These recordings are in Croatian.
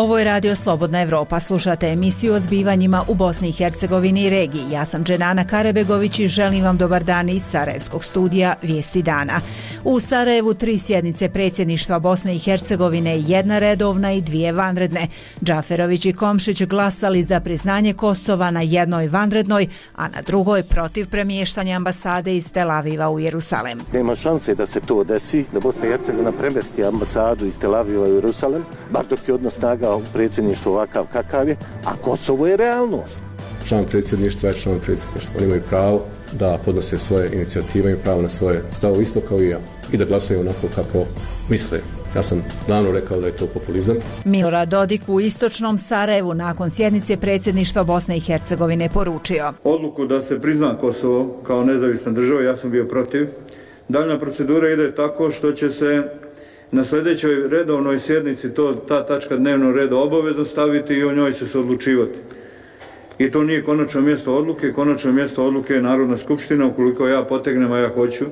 Ovo je Radio Slobodna Evropa. Slušate emisiju o zbivanjima u Bosni i Hercegovini i regiji. Ja sam Dženana Karebegović i želim vam dobar dan iz Sarajevskog studija Vijesti dana. U Sarajevu 3 sjednice predsjedništva Bosne i Hercegovine, 1 redovna i 2 vanredne. Džaferović i Komšić glasali za priznanje Kosova na 1 vanrednoj, a na 2 protiv premještanja ambasade iz Tel Aviva u Jerusalem. Nema šanse da se to desi, da Bosna i Hercegovina premjesti ambasadu iz Tel Aviva u Jerusalem, bar dok je odnos snaga u predsjedništvu ovakav kakav je, a Kosovo je realnost. Član predsjedništva je član predsjedništva. Oni imaju pravo da podnose svoje inicijative, imaju pravo na svoje stavove isto kao i ja i da glasaju onako kako misle. Ja sam davno rekao da je to populizam. Milorad Dodik u istočnom Sarajevu nakon sjednice predsjedništva Bosne i Hercegovine poručio: odluku da se prizna Kosovo kao nezavisna država, ja sam bio protiv. Daljna procedura ide tako što će se na sljedećoj redovnoj sjednici ta tačka dnevnog reda obavezno staviti i o njoj će se odlučivati. I to nije konačno mjesto odluke, konačno mjesto odluke je Narodna skupština, ukoliko ja potegnem, a ja hoću,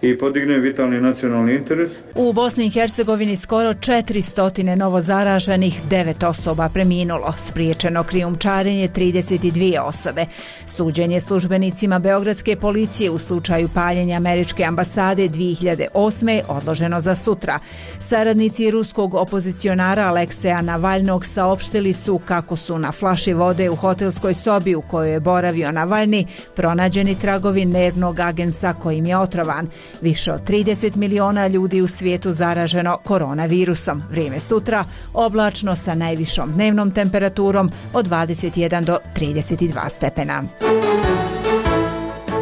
i podignem vitalni nacionalni interes. U Bosni i Hercegovini skoro 400 novozaraženih, 9 osoba preminulo, spriječeno krijumčarenje 32 osobe. Suđenje službenicima beogradske policije u slučaju paljenja američke ambasade 2008. odloženo za sutra. Saradnici ruskog opozicionara Alekseja Navalnog saopštili su kako su na flaši vode u hotelskoj sobi u kojoj je boravio Navalni pronađeni tragovi nervnog agensa kojim je otrovan. Više od 30 miliona ljudi u svijetu zaraženo koronavirusom. Vrijeme sutra oblačno sa najvišom dnevnom temperaturom od 21 do 32 stepena.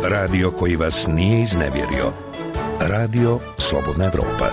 Radio koji vas nije iznevjerio. Radio Slobodna Evropa.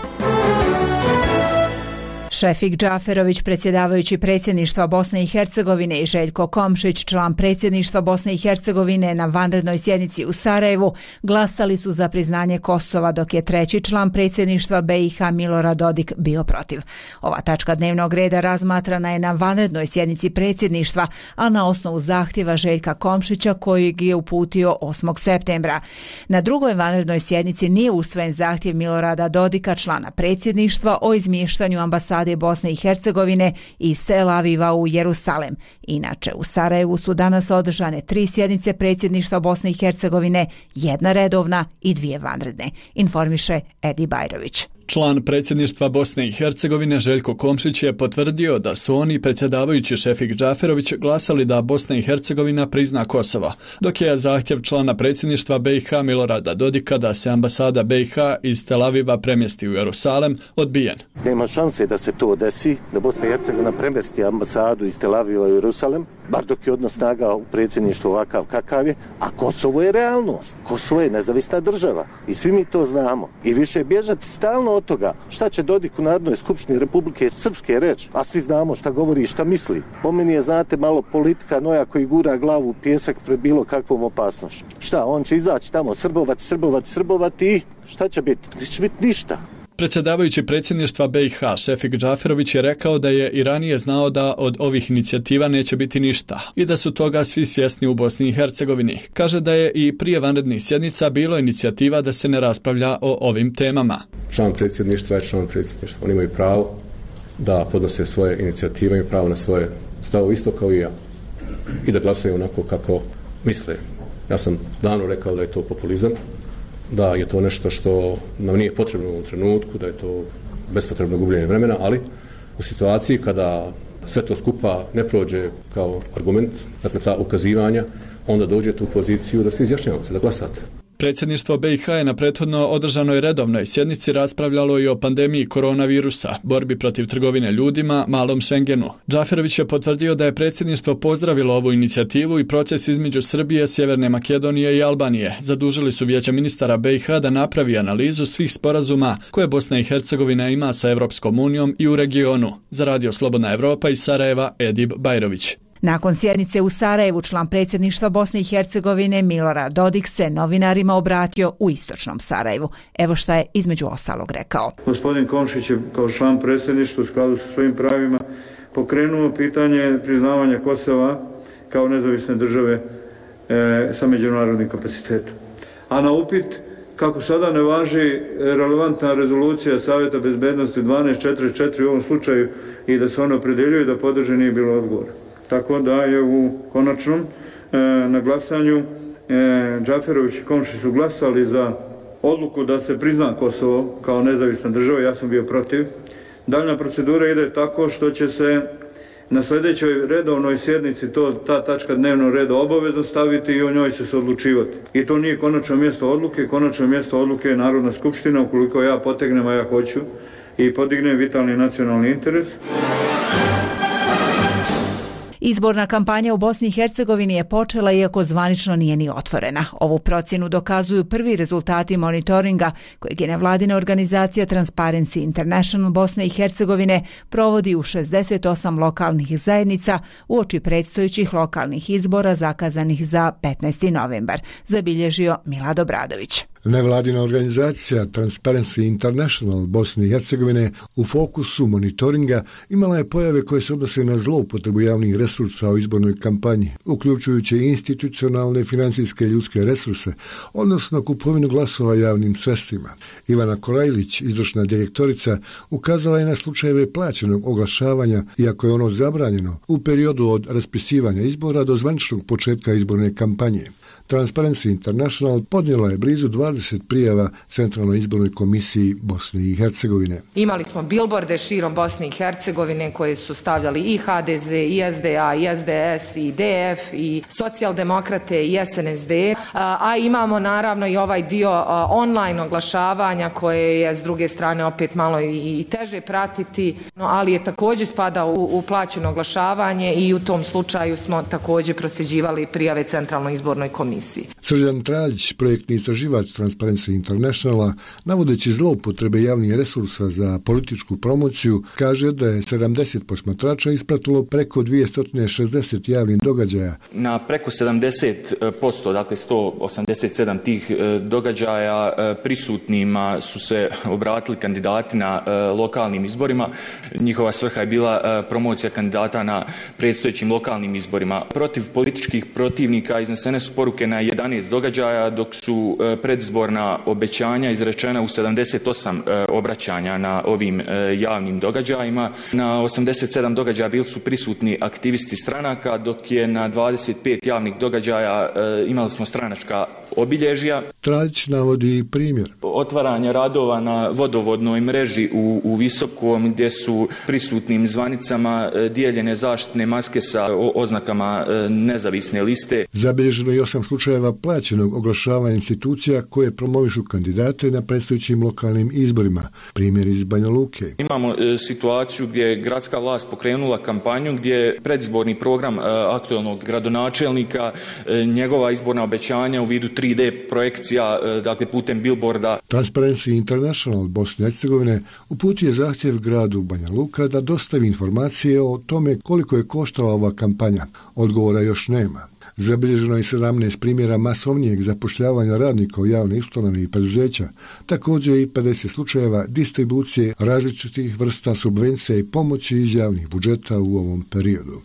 Šefik Džaferović, predsjedavajući predsjedništva Bosne i Hercegovine, i Željko Komšić, član predsjedništva Bosne i Hercegovine, na vanrednoj sjednici u Sarajevu glasali su za priznanje Kosova, dok je 3. član predsjedništva BiH Milorad Dodik bio protiv. Ova tačka dnevnog reda razmatrana je na vanrednoj sjednici predsjedništva, a na osnovu zahtjeva Željka Komšića kojeg je uputio 8. septembra. Na 2. vanrednoj sjednici nije usvojen zahtjev Milorada Dodika, člana predsjedništva, o izmještanju ambasade Bosne i Hercegovine iz Tel Aviva u Jerusalem. Inače, u Sarajevu su danas održane 3 sjednice predsjedništva Bosne i Hercegovine, 1 redovna i 2 vanredne, informiše Edi Bajrović. Član predsjedništva Bosne i Hercegovine Željko Komšić je potvrdio da su oni, predsjedavajući Šefik Džaferović, glasali da Bosna i Hercegovina prizna Kosovo, dok je zahtjev člana predsjedništva BiH Milorada Dodika da se ambasada BiH iz Tel Aviva premjesti u Jerusalem odbijen. Nema šanse da se to desi, da Bosna i Hercegovina premjesti ambasadu iz Tel Aviva u Jerusalem, bar dok je odnos snaga u predsjedništvu ovakav kakav je, a Kosovo je realnost. Kosovo je nezavisna država i svi mi to znamo. I više bježati stalno od toga šta će Dodik u Narodnoj skupštini Republike Srpske reći, a svi znamo šta govori i šta misli. Po meni je, znate, malo politika noja koji gura glavu u pijesak pred bilo kakvom opasnošću. Šta, on će izaći tamo srbovati i šta će biti? Neće biti ništa. Predsjedavajući predsjedništva BiH Šefik Džaferović je rekao da je i ranije znao da od ovih inicijativa neće biti ništa i da su toga svi svjesni u Bosni i Hercegovini. Kaže da je i prije vanrednih sjednica bilo inicijativa da se ne raspravlja o ovim temama. Član predsjedništva je član predsjedništva. Oni imaju pravo da podnose svoje inicijative, imaju pravo na svoje stavove isto kao i ja i da glasaju onako kako misle. Ja sam davno rekao da je to populizam, da je to nešto što nam nije potrebno u ovom trenutku, da je to bespotrebno gubljenje vremena, ali u situaciji kada sve to skupa ne prođe kao argument, dakle ta ukazivanja, onda dođete u poziciju da se izjašnjavate, da glasate. Predsjedništvo BiH je na prethodno održanoj redovnoj sjednici raspravljalo i o pandemiji koronavirusa, borbi protiv trgovine ljudima, malom Schengenu. Džaferović je potvrdio da je predsjedništvo pozdravilo ovu inicijativu i proces između Srbije, Sjeverne Makedonije i Albanije. Zadužili su Vijeće ministara BiH da napravi analizu svih sporazuma koje Bosna i Hercegovina ima sa Evropskom unijom i u regionu. Za Radio Slobodna Evropa iz Sarajeva, Edib Bajrović. Nakon sjednice u Sarajevu, član predsjedništva Bosne i Hercegovine Milorad Dodik se novinarima obratio u istočnom Sarajevu. Evo šta je između ostalog rekao. Gospodin Komšić je kao član predsjedništva u skladu sa svojim pravima pokrenuo pitanje priznavanja Kosova kao nezavisne države sa međunarodnim kapacitetom. A na upit kako sada ne važi relevantna rezolucija Savjeta bezbednosti 1244 u ovom slučaju i da se ono opredjeljuje da podrže nije bilo odgovora. Tako da je u konačnom na glasanju Džaferović i Komšić su glasali za odluku da se prizna Kosovo kao nezavisna država, ja sam bio protiv. Daljna procedura ide tako što će se na sljedećoj redovnoj sjednici ta tačka dnevnog reda obavezno staviti i o njoj će se odlučivati. I to nije konačno mjesto odluke je Narodna skupština, ukoliko ja potegnem, a ja hoću, i podignem vitalni nacionalni interes. Izborna kampanja u Bosni i Hercegovini je počela iako zvanično nije ni otvorena. Ovu procjenu dokazuju prvi rezultati monitoringa kojeg je nevladina organizacija Transparency International Bosne i Hercegovine provodi u 68 lokalnih zajednica uoči predstojećih lokalnih izbora zakazanih za 15. novembar, zabilježio Milad Obradović. Nevladina organizacija Transparency International Bosne i Hercegovine u fokusu monitoringa imala je pojave koje se odnose na zloupotrebu javnih resursa u izbornoj kampanji, uključujući institucionalne, financijske i ljudske resurse, odnosno kupovinu glasova javnim sredstvima. Ivana Korajlić, izvršna direktorica, ukazala je na slučajeve plaćenog oglašavanja, iako je ono zabranjeno, u periodu od raspisivanja izbora do zvaničnog početka izborne kampanje. Transparency International podnijela je blizu 20 prijava Centralnoj izbornoj komisiji Bosne i Hercegovine. Imali smo bilborde širom Bosne i Hercegovine koje su stavljali i HDZ, i SDA, i SDS, i DF, i socijaldemokrate, i SNSD, a imamo naravno i ovaj dio online oglašavanja koje je s druge strane opet malo i teže pratiti, ali je također spada u plaćeno oglašavanje i u tom slučaju smo također prosljeđivali prijave Centralnoj izbornoj komisiji. Srđan Traljić, projektni istraživač Transparency Internationala, navodeći zloupotrebe javnih resursa za političku promociju, kaže da je 70 posmatrača ispratilo preko 260 javnih događaja. Na preko 70%, dakle 187 tih događaja prisutnima su se obratili kandidati na lokalnim izborima. Njihova svrha je bila promocija kandidata na predstojećim lokalnim izborima. Protiv političkih protivnika iznesene su poruke na 11 događaja, dok su predizborna obećanja izrečena u 78 obraćanja na ovim javnim događajima. Na 87 događaja bili su prisutni aktivisti stranaka, dok je na 25 javnih događaja imali smo stranačka obilježja. Traljić navodi primjer. Otvaranje radova na vodovodnoj mreži u Visokom, gdje su prisutnim zvanicama dijeljene zaštitne maske sa oznakama nezavisne liste. Zabilježeno je 8 slučajeva plaćenog oglašavanja institucija koje promovišu kandidate na predstojećim lokalnim izborima. Primjer iz Banja Luke. Imamo situaciju gdje je gradska vlast pokrenula kampanju gdje je predizborni program aktualnog gradonačelnika, njegova izborna obećanja u vidu 3D projekcija, dakle putem billboarda. Transparency International Bosne i Hercegovine uputio je zahtjev gradu Banja Luka da dostavi informacije o tome koliko je koštala ova kampanja. Odgovora još nema. Zabilježeno je 17 primjera masovnijeg zapošljavanja radnika u javne ustanove i preduzeća, također i 50 slučajeva distribucije različitih vrsta subvencija i pomoći iz javnih budžeta u ovom periodu.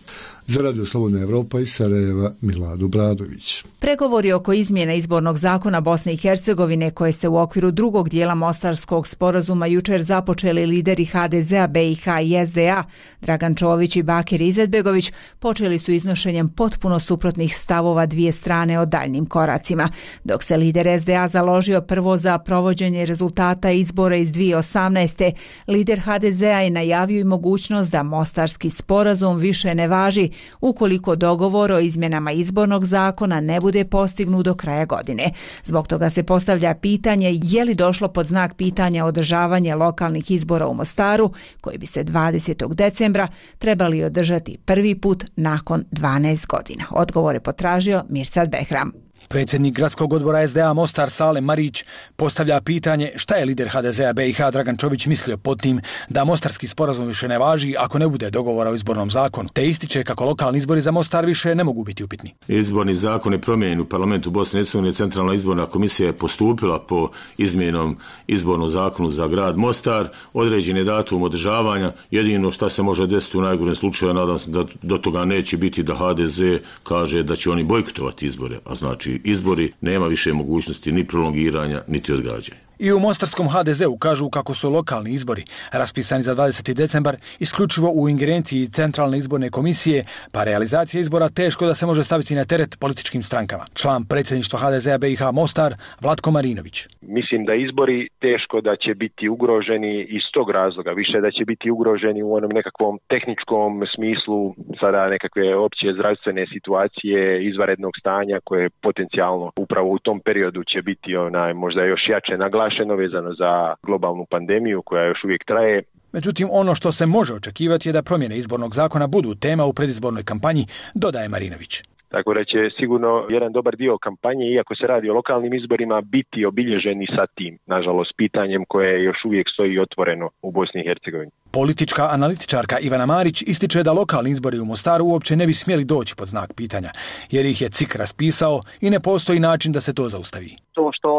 Za Radio Slobodna Evropa iz Sarajeva, Milad Obradović. Pregovori oko izmjene izbornog zakona Bosne i Hercegovine koje se u okviru drugog dijela Mostarskog sporazuma jučer započeli lideri HDZ-a, BiH i SDA, Dragan Čović i Bakir Izetbegović, počeli su iznošenjem potpuno suprotnih stavova dvije strane o daljnim koracima. Dok se lider SDA založio prvo za provođenje rezultata izbora iz 2018. lider HDZ-a je najavio i mogućnost da Mostarski sporazum više ne važi ukoliko dogovor o izmjenama izbornog zakona ne bude postignut do kraja godine. Zbog toga se postavlja pitanje je li došlo pod znak pitanja održavanje lokalnih izbora u Mostaru, koji bi se 20. decembra trebali održati prvi put nakon 12 godina. Odgovor je potražio Mirsad Behram. Predsjednik gradskog odbora SDA Mostar Salem Marić postavlja pitanje šta je lider HDZ-a BiH Dragan Čović mislio pod tim da Mostarski sporazum više ne važi ako ne bude dogovora o izbornom zakonu, te ističe kako lokalni izbori za Mostar više ne mogu biti upitni. Izborni zakon je promijenjen u parlamentu Bosne i Hercegovine. Centralna izborna komisija je postupila po izmjenom izbornog zakonu za grad Mostar. Određen je datum održavanja. Jedino što se može desiti u najgorem slučaju, nadam se da do toga neće biti, da HDZ kaže da će oni bojkotovati izbore, a znači sljedeći izbori, nema više mogućnosti ni prolongiranja, niti odgađanja. I u mostarskom HDZ-u kažu kako su lokalni izbori, raspisani za 20. decembar, isključivo u ingerenciji Centralne izborne komisije, pa realizacija izbora teško da se može staviti na teret političkim strankama. Član predsjedništva HDZ-a BiH Mostar, Vlatko Marinović. Mislim da izbori teško da će biti ugroženi iz tog razloga, više da će biti ugroženi u onom nekakvom tehničkom smislu, sada nekakve opće zdravstvene situacije, izvanrednog stanja koje potencijalno upravo u tom periodu će biti možda još jače naglašeno vezano za globalnu pandemiju koja još uvijek traje. Međutim, ono što se može očekivati je da promjene izbornog zakona budu tema u predizbornoj kampanji, dodaje Marinović. Tako da će sigurno jedan dobar dio kampanje, iako se radi o lokalnim izborima, biti obilježeni sa tim, nažalost, pitanjem koje još uvijek stoji otvoreno u Bosni i Hercegovini. Politička analitičarka Ivana Marić ističe da lokalni izbori u Mostaru uopće ne bi smjeli doći pod znak pitanja, jer ih je CIK raspisao i ne postoji način da se to zaustavi. To što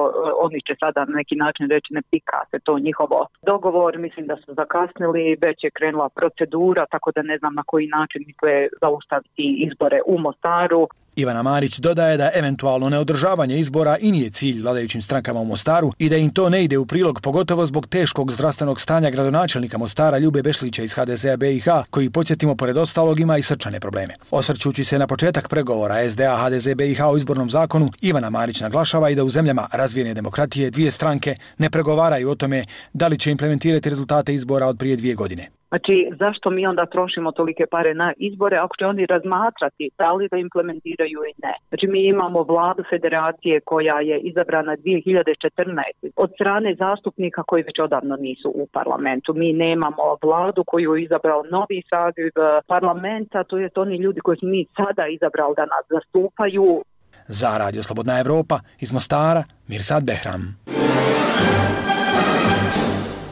oni će sada na neki način reći ne pika se to njihovo dogovor, mislim da su zakasnili, već je krenula procedura, tako da ne znam na koji način misle zaustaviti izbore u Mostaru. Ivana Marić dodaje da eventualno neodržavanje izbora i nije cilj vladajućim strankama u Mostaru i da im to ne ide u prilog, pogotovo zbog teškog zdravstvenog stanja gradonačelnika Mostara Ljube Bešlića iz HDZ-a BiH, koji, podsjetimo, pored ostalog ima i srčane probleme. Osvrćući se na početak pregovora SDA HDZ BiH o izbornom zakonu, Ivana Marić naglašava i da u zemljama razvijene demokratije dvije stranke ne pregovaraju o tome da li će implementirati rezultate izbora od prije 2 godine. Znači, zašto mi onda trošimo tolike pare na izbore ako će oni razmatrati da li da implementiraju i ne? Znači, mi imamo vladu federacije koja je izabrana 2014. od strane zastupnika koji već odavno nisu u parlamentu. Mi nemamo vladu koju je izabrao novi saziv parlamenta, to je oni ljudi koji su mi sada izabrali da nas zastupaju. Za Radio Slobodna Evropa iz Mostara, Mirsad Behram.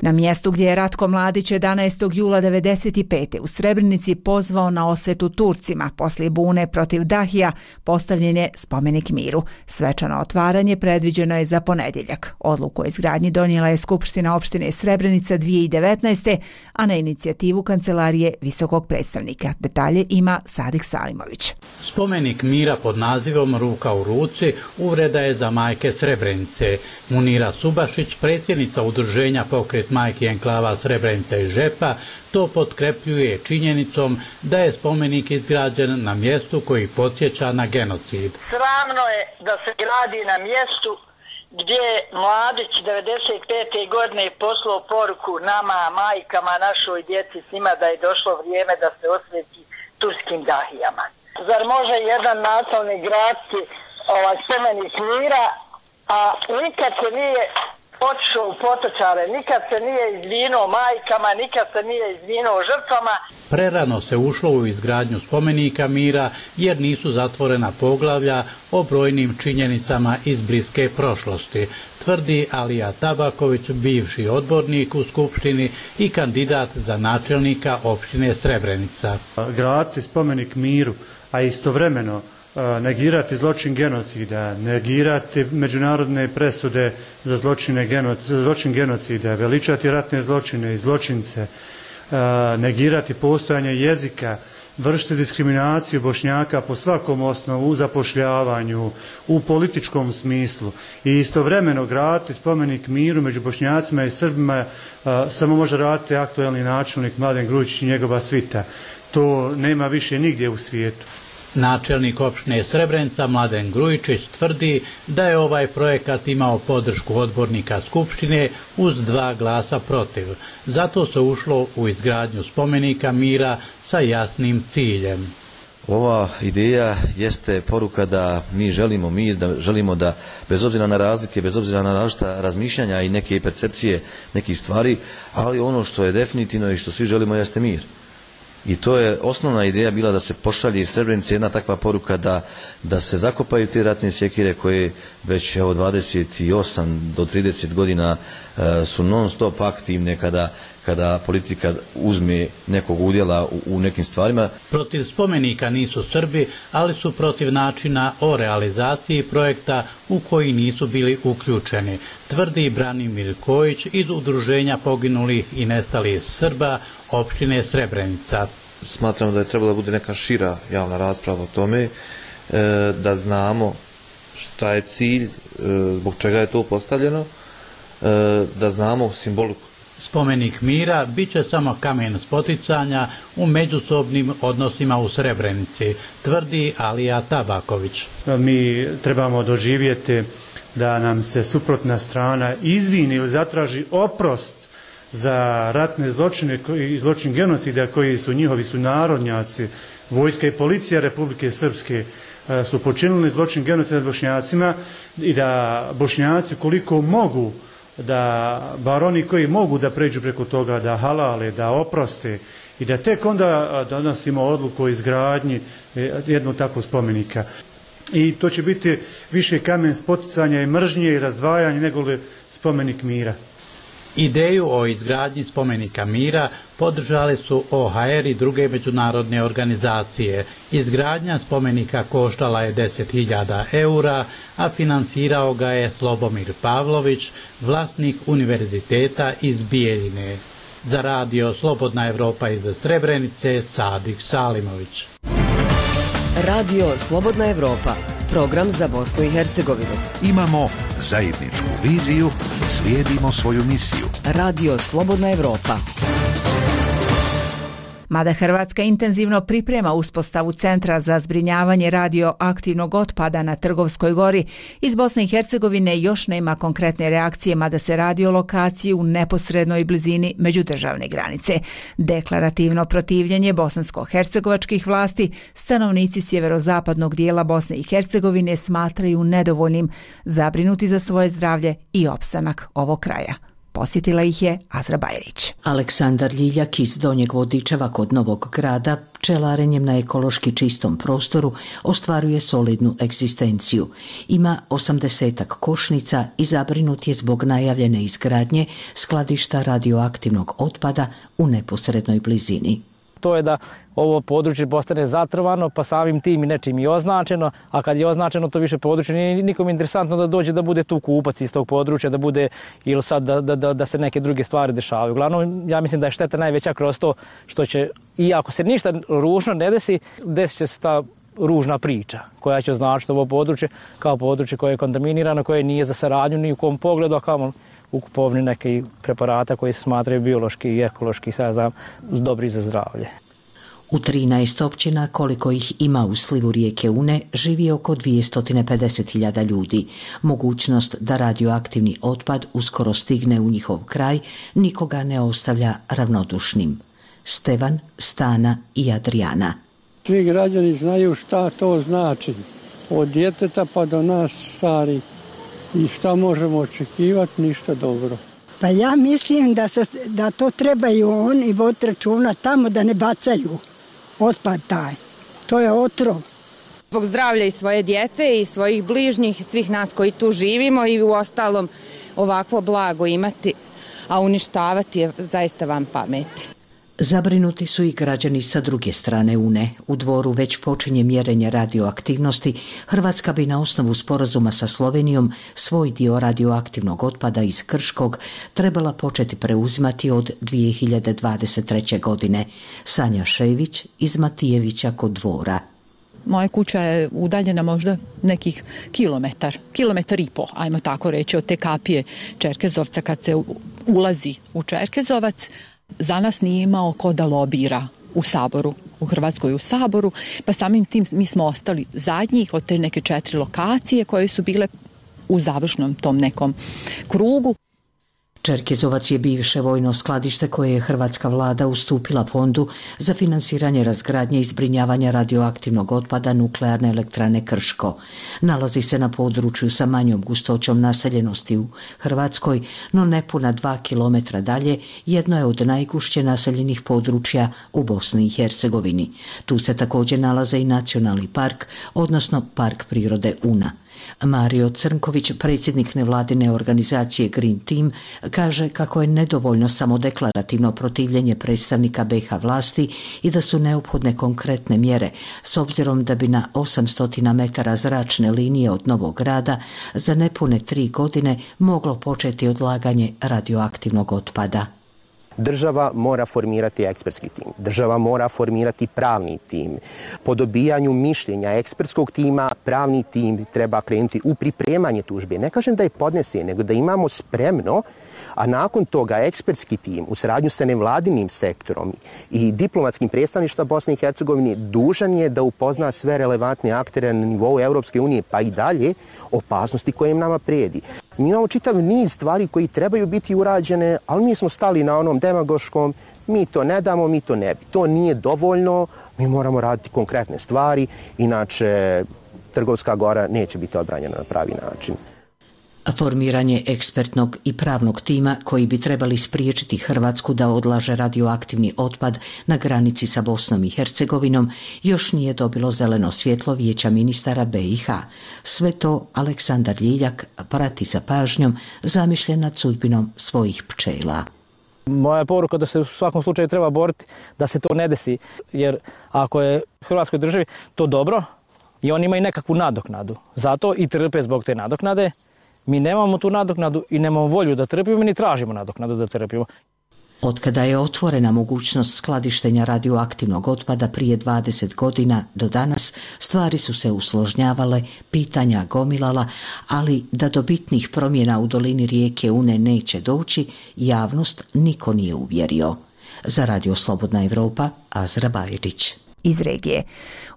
Na mjestu gdje je Ratko Mladić 11. jula 1995. u Srebrenici pozvao na osvetu Turcima poslije bune protiv Dahija, postavljen je spomenik miru. Svečano otvaranje predviđeno je za ponedjeljak. Odluku o izgradnji donijela je Skupština opštine Srebrenica 2019. a na inicijativu Kancelarije visokog predstavnika. Detalje ima Sadik Salimović. Spomenik mira pod nazivom Ruka u ruci uvreda je za majke Srebrenice. Munira Subašić, predsjednica udruženja Pokret majki enklava Srebrenica i Žepa, to potkrepljuje činjenicom da je spomenik izgrađen na mjestu koji podsjeća na genocid. Sramno je da se gradi na mjestu gdje je Mladić 95. godine poslao poruku nama, majkama, našoj djeci, svima da je došlo vrijeme da se osveti turskim Dahijama. Zar može jedan nacionalni gradski spomenik mira, a nikad se nije otišao u potočare, nikad se nije izvinuo majkama, nikad se nije izvinuo žrtvama. Prerano se ušlo u izgradnju spomenika mira jer nisu zatvorena poglavlja o brojnim činjenicama iz bliske prošlosti, tvrdi Alija Tabaković, bivši odbornik u Skupštini i kandidat za načelnika opštine Srebrenica. Graditi spomenik miru, a istovremeno negirati zločin genocida, negirati međunarodne presude za zločin genocida, veličati ratne zločine i zločince, negirati postojanje jezika, vršiti diskriminaciju Bošnjaka po svakom osnovu, u zapošljavanju, u političkom smislu i istovremeno graditi spomenik miru među Bošnjacima i Srbima samo može raditi aktuelni načelnik Mladen Grujičić i njegova svita. To nema više nigdje u svijetu. Načelnik opštine Srebrenica Mladen Grujičić tvrdi da je ovaj projekat imao podršku odbornika Skupštine uz 2 glasa protiv. Zato se ušlo u izgradnju spomenika mira sa jasnim ciljem. Ova ideja jeste poruka da mi želimo mir, da želimo da bez obzira na razlike, bez obzira na različita razmišljanja i neke percepcije nekih stvari, ali ono što je definitivno i što svi želimo jeste mir. I to je osnovna ideja bila da se pošalje iz Srebrenice jedna takva poruka da se zakopaju te ratne sjekire koje već 28 do 30 godina su non stop aktivne kada politika uzme nekog udjela u nekim stvarima. Protiv spomenika nisu Srbi, ali su protiv načina o realizaciji projekta u koji nisu bili uključeni, tvrdi Branimir Kojić iz Udruženja poginulih i nestalih Srba opštine Srebrenica. Smatramo da je trebala da bude neka šira javna rasprava o tome, da znamo šta je cilj, zbog čega je to postavljeno, da znamo simboliku. Spomenik mira bit će samo kamen spoticanja u međusobnim odnosima u Srebrenici, tvrdi Alija Tabaković. Mi trebamo doživjeti da nam se suprotna strana izvini ili zatraži oprost za ratne zločine i zločin genocida koji su njihovi sunarodnjaci, vojska i policija Republike Srpske su počinili zločin genocida nad Bošnjacima i da Bošnjaci koliko mogu, da bar oni koji mogu da pređu preko toga, da halale, da oproste i da tek onda donosimo odluku o izgradnji jednog takvog spomenika. I to će biti više kamen spoticanja i mržnje i razdvajanja nego li spomenik mira. Ideju o izgradnji spomenika mira podržali su OHR i druge međunarodne organizacije. Izgradnja spomenika koštala je 10.000 eura, a finansirao ga je Slobomir Pavlović, vlasnik univerziteta iz Bijeljine. Za radio Slobodna Evropa iz Srebrenice, Sadik Salimović. Radio Slobodna Evropa, program za Bosnu i Hercegovinu. Imamo zajedničku viziju, slijedimo svoju misiju. Radio Slobodna Evropa. Mada Hrvatska intenzivno priprema uspostavu centra za zbrinjavanje radioaktivnog otpada na Trgovskoj gori, iz Bosne i Hercegovine još nema konkretne reakcije, mada se radi o lokaciji u neposrednoj blizini međudržavne granice. Deklarativno protivljenje bosansko-hercegovačkih vlasti stanovnici sjeverozapadnog dijela Bosne i Hercegovine smatraju nedovoljnim, zabrinuti za svoje zdravlje i opstanak ovog kraja. Posjetila ih je Azra Bajrić. Aleksandar Ljiljak iz Donjeg Vodičeva kod Novog Grada pčelarenjem na ekološki čistom prostoru ostvaruje solidnu egzistenciju. Ima 80-ak košnica i zabrinut je zbog najavljene izgradnje skladišta radioaktivnog otpada u neposrednoj blizini. To je da ovo područje postane zatrovano, pa samim tim i nečim i označeno, a kad je označeno to više područje nije nikom interesantno da dođe da bude tu kupac iz tog područja, da bude ili sad da se neke druge stvari dešavaju. Uglavnom, ja mislim da je šteta najveća kroz to što će, i ako se ništa ružno ne desi, desit će se ta ružna priča koja će označiti ovo područje kao područje koje je kontaminirano, koje nije za saradnju ni u kom pogledu, a kao u kupovini nekih preparata koji se smatraju biološki i ekološki, sad znam, dobri za zdravlje. U 13 općina, koliko ih ima u slivu rijeke Une, živi oko 250.000 ljudi. Mogućnost da radioaktivni otpad uskoro stigne u njihov kraj nikoga ne ostavlja ravnodušnim. Stevan, Stana i Adriana. Svi građani znaju šta to znači, od djeteta pa do nas stari. I šta možemo očekivati? Ništa dobro. Pa ja mislim da to trebaju oni voditi računa tamo da ne bacaju otpad taj. To je otrov. Zbog zdravlja i svoje djece i svojih bližnjih, svih nas koji tu živimo i u ostalom ovakvo blago imati, a uništavati je zaista van pameti. Zabrinuti su i građani sa druge strane Une. U Dvoru već počinje mjerenje radioaktivnosti. Hrvatska bi na osnovu sporazuma sa Slovenijom svoj dio radioaktivnog otpada iz Krškog trebala početi preuzimati od 2023. godine. Sanja Šević iz Matijevića kod Dvora. Moja kuća je udaljena možda nekih kilometar i po, ajmo tako reći, od te kapije Čerkezovca kad se ulazi u Čerkezovac. Za nas nije imao ko da lobira u Saboru, u Hrvatskoj u Saboru, pa samim tim mi smo ostali zadnjih od te neke 4 lokacije koje su bile u završnom tom nekom krugu. Čerkezovac je bivše vojno skladište koje je hrvatska vlada ustupila fondu za finansiranje razgradnje i zbrinjavanja radioaktivnog otpada nuklearne elektrane Krško. Nalazi se na području sa manjom gustoćom naseljenosti u Hrvatskoj, no nepuna 2 kilometra dalje jedno je od najgušće naseljenih područja u Bosni i Hercegovini. Tu se također nalaze i nacionalni park, odnosno Park prirode Una. Mario Crnković, predsjednik nevladine organizacije Green Team, kaže kako je nedovoljno samo deklarativno protivljenje predstavnika BiH vlasti i da su neophodne konkretne mjere, s obzirom da bi na 800 metara zračne linije od Novog Grada za nepune 3 godine moglo početi odlaganje radioaktivnog otpada. Država mora formirati ekspertski tim, država mora formirati pravni tim. Po dobijanju mišljenja ekspertskog tima, pravni tim treba krenuti u pripremanje tužbe. Ne kažem da je podnese, nego da imamo spremno, a nakon toga ekspertski tim u saradnju sa nevladinim sektorom i diplomatskim predstavništva Bosne i Hercegovine dužan je da upozna sve relevantne aktere na nivou Europske unije, pa i dalje, opasnosti koje im nama prijedi. Mi imamo čitav niz stvari koji trebaju biti urađene, ali mi smo stali na onom demagoškom, mi to ne damo, mi to ne bi. To nije dovoljno, mi moramo raditi konkretne stvari, inače Trgovska Gora neće biti odbranjena na pravi način. Formiranje ekspertnog i pravnog tima koji bi trebali spriječiti Hrvatsku da odlaže radioaktivni otpad na granici sa Bosnom i Hercegovinom još nije dobilo zeleno svjetlo Vijeća ministara BiH. Sve to Aleksandar Ljiljak prati sa pažnjom, zamišljen nad sudbinom svojih pčela. Moja poruka da se u svakom slučaju treba boriti da se to ne desi, jer ako je Hrvatskoj državi to dobro i oni imaju nekakvu nadoknadu, zato i trpe zbog te nadoknade. Mi nemamo tu nadoknadu i nemamo volju da trpimo, ni tražimo nadoknadu da trpimo. Otkada je otvorena mogućnost skladištenja radioaktivnog otpada prije 20 godina do danas, stvari su se usložnjavale, pitanja gomilala, ali da do bitnih promjena u dolini rijeke Une neće doći, javnost niko nije uvjerio. Za Radio Slobodna Evropa, Azra Bajrić. Iz regije.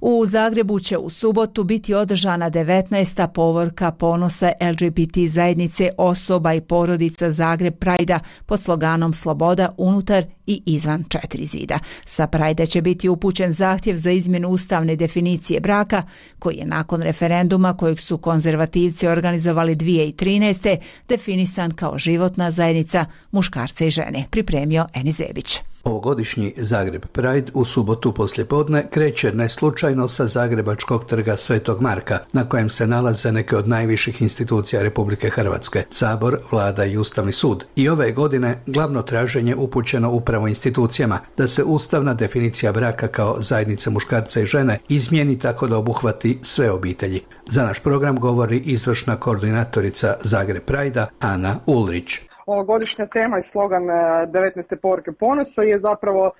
U Zagrebu će u subotu biti održana 19. povorka ponosa LGBT zajednice osoba i porodica Zagreb Prajda pod sloganom Sloboda unutar i izvan 4 zida. Sa Prajda će biti upućen zahtjev za izmjenu ustavne definicije braka, koji je nakon referenduma kojeg su konzervativci organizovali 2013. definisan kao životna zajednica muškarca i žene, pripremio Eni Zebić. Ovogodišnji Zagreb Pride u subotu poslijepodne kreće neslučajno sa Zagrebačkog trga Svetog Marka, na kojem se nalaze neke od najviših institucija Republike Hrvatske, Sabor, Vlada i Ustavni sud. I ove godine glavno traženje upućeno upravo institucijama da se ustavna definicija braka kao zajednice muškarca i žene izmijeni tako da obuhvati sve obitelji. Za naš program govori izvršna koordinatorica Zagreb Prajda Ana Ulrić. Ovogodišnja tema i slogan 19. povorke ponosa je zapravo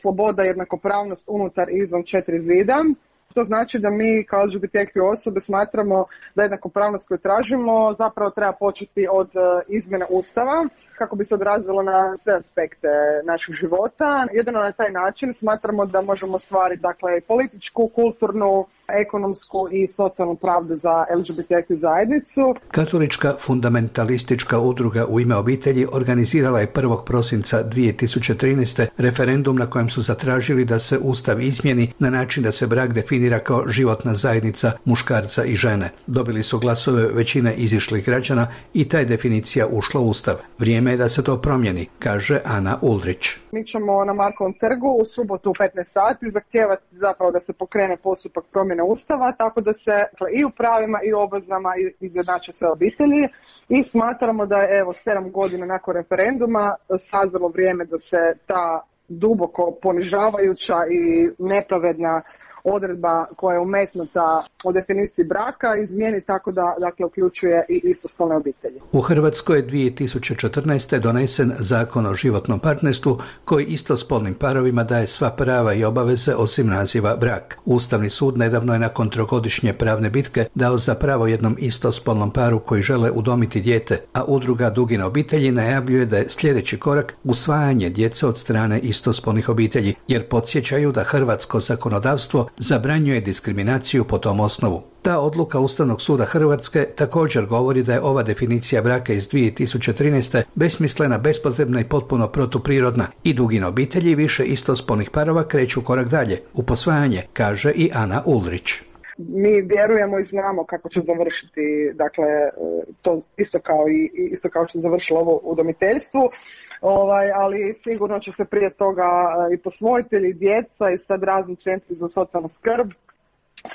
sloboda, jednakopravnost unutar i izvan 4 zida. To znači da mi kao LGBTQ osobe smatramo da jednakopravnost koju tražimo zapravo treba početi od izmjene Ustava kako bi se odrazilo na sve aspekte našeg života. Jedino na taj način smatramo da možemo ostvariti političku, kulturnu, ekonomsku i socijalnu pravdu za LGBTQ zajednicu. Katolička fundamentalistička udruga U ime obitelji organizirala je 1. prosinca 2013. referendum na kojem su zatražili da se Ustav izmijeni na način da se brak definira kao životna zajednica muškarca i žene. Dobili su glasove većine izišlih građana i ta je definicija ušla u Ustav. Vrijeme je da se to promijeni, kaže Ana Ulrić. Mi ćemo na Markovom trgu u subotu u 15 sati zahtijevati zapravo da se pokrene postupak promjene Ustava, tako da se i u pravima i u obvezama izjednače sve obitelji i smatramo da je 7 godina nakon referenduma sazrelo vrijeme da se ta duboko ponižavajuća i nepravedna odredba koja je umetnuta o definiciji braka izmijeni tako da uključuje i istospolne obitelji. U Hrvatskoj je 2014. donesen Zakon o životnom partnerstvu koji istospolnim parovima daje sva prava i obaveze osim naziva brak. Ustavni sud nedavno je nakon 3-godišnje pravne bitke dao za pravo jednom istospolnom paru koji žele udomiti dijete, a udruga Dugine obitelji najavljuje da je sljedeći korak usvajanje djece od strane istospolnih obitelji, jer podsjećaju da hrvatsko zakonodavstvo zabranjuje diskriminaciju po tom osnovu. Ta odluka Ustavnog suda Hrvatske također govori da je ova definicija braka iz 2013. besmislena, bespotrebna i potpuno protuprirodna i Dugine obitelji više istospolnih parova kreću korak dalje, u posvajanje, kaže i Ana Ulrić. Mi vjerujemo i znamo kako će završiti, to isto kao što je završilo ovo udomiteljstvu, ali sigurno će se prije toga i posvojitelji, djeca i sad razni centri za socijalnu skrb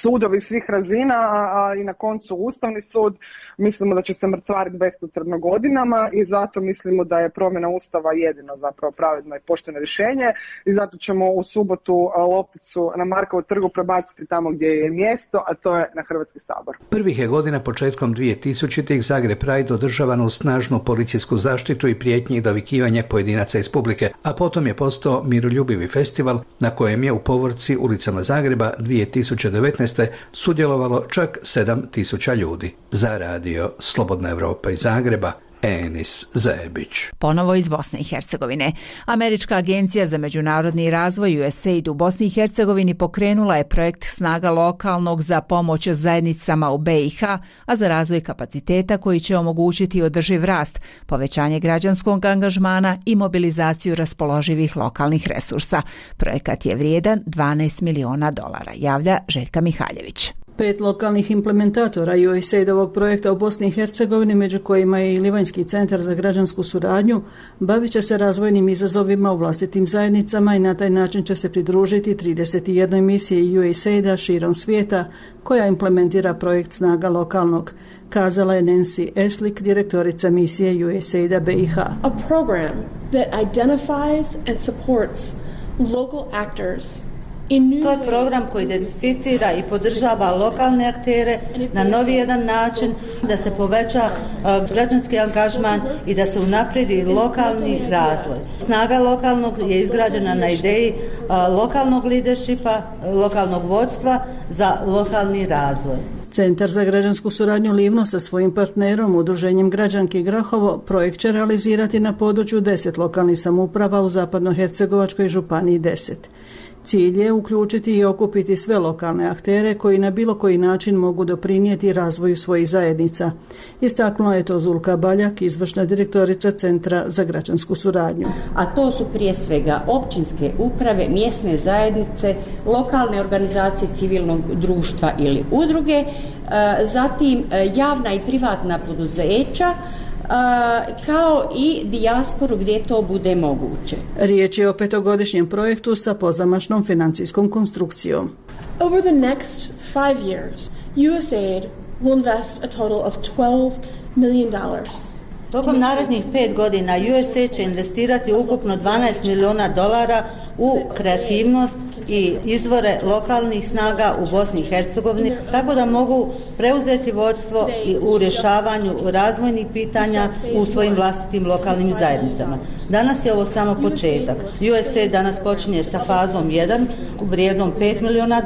sudovi svih razina, a i na koncu Ustavni sud. Mislimo da će se mrcvariti bespotrebno godinama i zato mislimo da je promjena Ustava jedino zapravo pravedno i pošteno rješenje i zato ćemo u subotu lopticu na Markovu trgu prebaciti tamo gdje je mjesto, a to je na Hrvatski sabor. Prvih je godina početkom 2000-ih Zagreb Pride održavan uz snažnu policijsku zaštitu i prijetnji i dovikivanje pojedinaca iz publike, a potom je postao miroljubivi festival na kojem je u povorci ulicama Zagreba 2019. sudjelovalo čak 7.000 ljudi. Za radio Slobodna Evropa iz Zagreba, Enis Zebić. Ponovo iz Bosne i Hercegovine. Američka agencija za međunarodni razvoj USAID u Bosni i Hercegovini pokrenula je projekt Snaga lokalnog za pomoć zajednicama u BiH, a za razvoj kapaciteta koji će omogućiti održiv rast, povećanje građanskog angažmana i mobilizaciju raspoloživih lokalnih resursa. Projekat je vrijedan $12 miliona, javlja Željka Mihaljević. 5 lokalnih implementatora USAID-ovog projekta u Bosni i Hercegovini, među kojima je i Livanjski centar za građansku suradnju, bavit će se razvojnim izazovima u vlastitim zajednicama i na taj način će se pridružiti 31 misiji USAID-a širom svijeta koja implementira projekt Snaga lokalnog, kazala je Nancy Eslik, direktorica misije USAID-a BiH. A program that identifies and supports local actors. To je program koji identificira i podržava lokalne aktere na novi jedan način, da se poveća građanski angažman i da se unaprijedi lokalni razvoj. Snaga lokalnog je izgrađena na ideji lokalnog leadershipa, lokalnog vodstva za lokalni razvoj. Centar za građansku suradnju Livno sa svojim partnerom, Udruženjem Građanki Grahovo, projekt će realizirati na području 10 lokalnih samouprava u Zapadnohercegovačkoj županiji 10. Cilj je uključiti i okupiti sve lokalne aktere koji na bilo koji način mogu doprinijeti razvoju svojih zajednica. Istaknula je to Zulka Baljak, izvršna direktorica Centra za građansku suradnju. A to su prije svega općinske uprave, mjesne zajednice, lokalne organizacije civilnog društva ili udruge, zatim javna i privatna poduzeća, kao i dijasporu gdje to bude moguće. Riječ je o 5-godišnjem projektu sa pozamašnom financijskom konstrukcijom. Over the next 5 years, USAID will invest a total of $12 million. Tokom narednih 5 godina USAID će investirati ukupno $12 miliona u kreativnost i izvore lokalnih snaga u Bosni i Hercegovini, tako da mogu preuzeti vodstvo u rješavanju razvojnih pitanja u svojim vlastitim lokalnim zajednicama. Danas je ovo samo početak. USAID danas počinje sa fazom 1 vrijednom $5 miliona.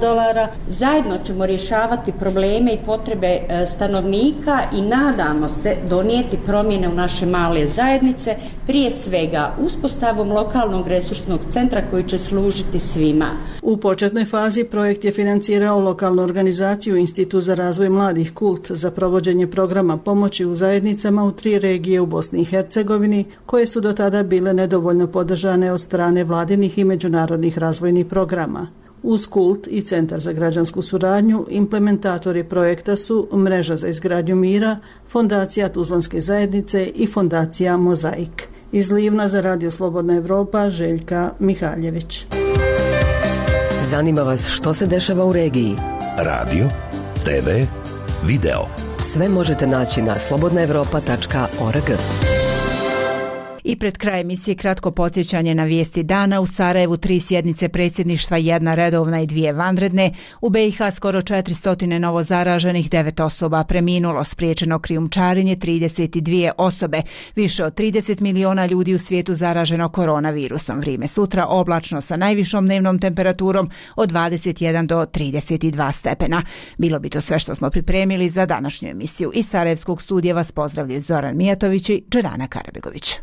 Zajedno ćemo rješavati probleme i potrebe stanovnika i nadamo se donijeti promjene u naše male zajednice, prije svega uspostavom lokalnog resursnog centra koji će služiti svima. U početnoj fazi projekt je financirao lokalnu organizaciju Institut za razvoj mladih Kult za provođenje programa pomoći u zajednicama u 3 regije u Bosni i Hercegovini, koje su do tada bile nedovoljno podržane od strane vladinih i međunarodnih razvojnih programa. Uz Kult i Centar za građansku suradnju implementatori projekta su Mreža za izgradnju mira, Fondacija Tuzlanske zajednice i Fondacija Mozaik. Iz Livna za Radio Slobodna Evropa, Željka Mihaljević. Zanima vas što se dešava u regiji? Radio, TV, video. Sve možete naći na slobodnaevropa.org. I pred kraj emisije kratko podsjećanje na vijesti dana. U Sarajevu 3 sjednice predsjedništva, 1 redovna i 2 vanredne. U BiH skoro 400 novo zaraženih, 9 osoba preminulo, spriječeno krijumčarenje 32 osobe. Više od 30 miliona ljudi u svijetu zaraženo koronavirusom. Vrijeme sutra oblačno sa najvišom dnevnom temperaturom od 21 do 32 stepena. Bilo bi to sve što smo pripremili za današnju emisiju. Iz Sarajevskog studija vas pozdravljaju Zoran Mijatović i Đerana Karabegović.